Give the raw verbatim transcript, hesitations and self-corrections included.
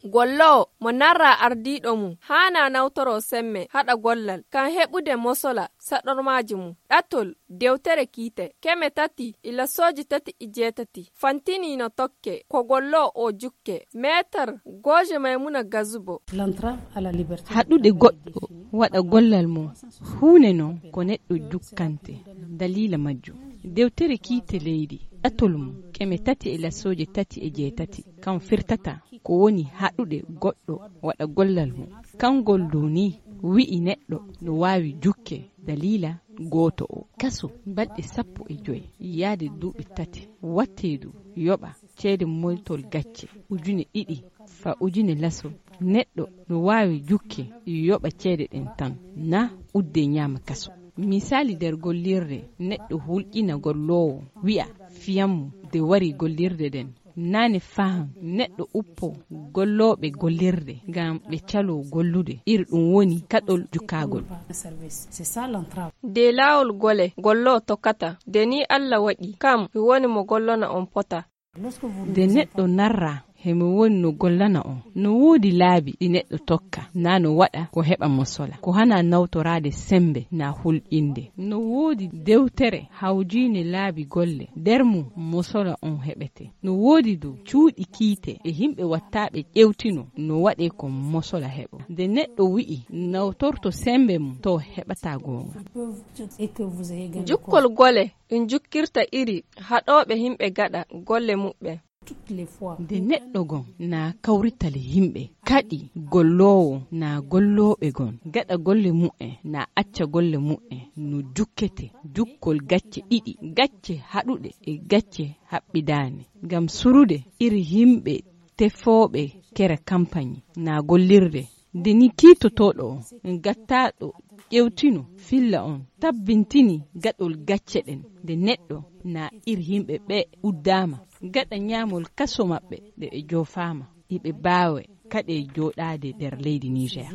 gollowo mo narra ardiiɗo mum haana nawtoro semme haɗa gollal kan heɓude mosola saɗormaaji mum. Ɗatol dewtere kiite keme tati ila sooji tati e jeetati fantiniino tokke ko gollowo o jukke. Meetar Gooje Maymuna Gazubo. haɗude goɗɗo waɗa gollal mum huune non ko neɗɗo jukkante dalila majjum. Dewtere kiite leydi ɗatol mum keme tati ila sooji tati e jeetati kan firtata ko woni haɗude goɗɗo waɗa gollal mum. Kangol dow ni wi'i neɗɗo no waawi jukke dalila gooto o kaso balɗe sappo e joyi yaade duuɓi tati watteedu yoɓa ceede moytol gacce ujune ɗiɗi fa ujune laso. Neɗɗo no waawi jukke yoɓa ceede ɗen tan na udde ñaama kaso. Misali nder gollirde neɗɗo hulƴina gollowo wi'a fiyammu de wari gollirde den naane fahan neɗɗo uppo gollooɓe gollirde ngam ɓe calo gollude iri ɗum woni kaɗol jukkagol. de laawol gole gollo tokkata de ni Allah waɗi kam mi woni mo gollona on pota. De neɗɗo narra hemi woni no gollana on no woodi laabi ɗi neɗɗo tokka na no waɗa ko heɓa mosola ko hana nawtorade sembe na hulƴinde. No woodi dewtere hawjiine laabi golle nder mum mosola on heɓete. No woodi du cuuɗi kiite e himɓe wattaaɓe ƴewtino no waɗe ko mosola heɓo. Nde neɗɗo wi'i nawtorto sembe mum to heɓata goonga. Jukkol gole ɗum jukkirta iri haɗooɓe himɓe gaɗa golle muɓɓe. Nde neɗɗo gon na kawritale himɓe kadi gollowo na gollooɓe gon gaɗa golle mu'en na acca golle mu'en no jukkete jukkol gacce ɗiɗi gacce haɗuɗe e gacce haɓɓidaane ngam surude iri himɓe tefooɓe kere campagne na gollirde. Nde ni kiitotoɗo on gattaɗo ƴewtino filla on tabbintini gaɗol gacce ɗen nde neɗɗo na iri himɓe ɓe uddama gaɗa ñaamol kaso maɓɓe nde ɓe joofama iɓe baawe kaɗe jooɗaade nder leydi Niger.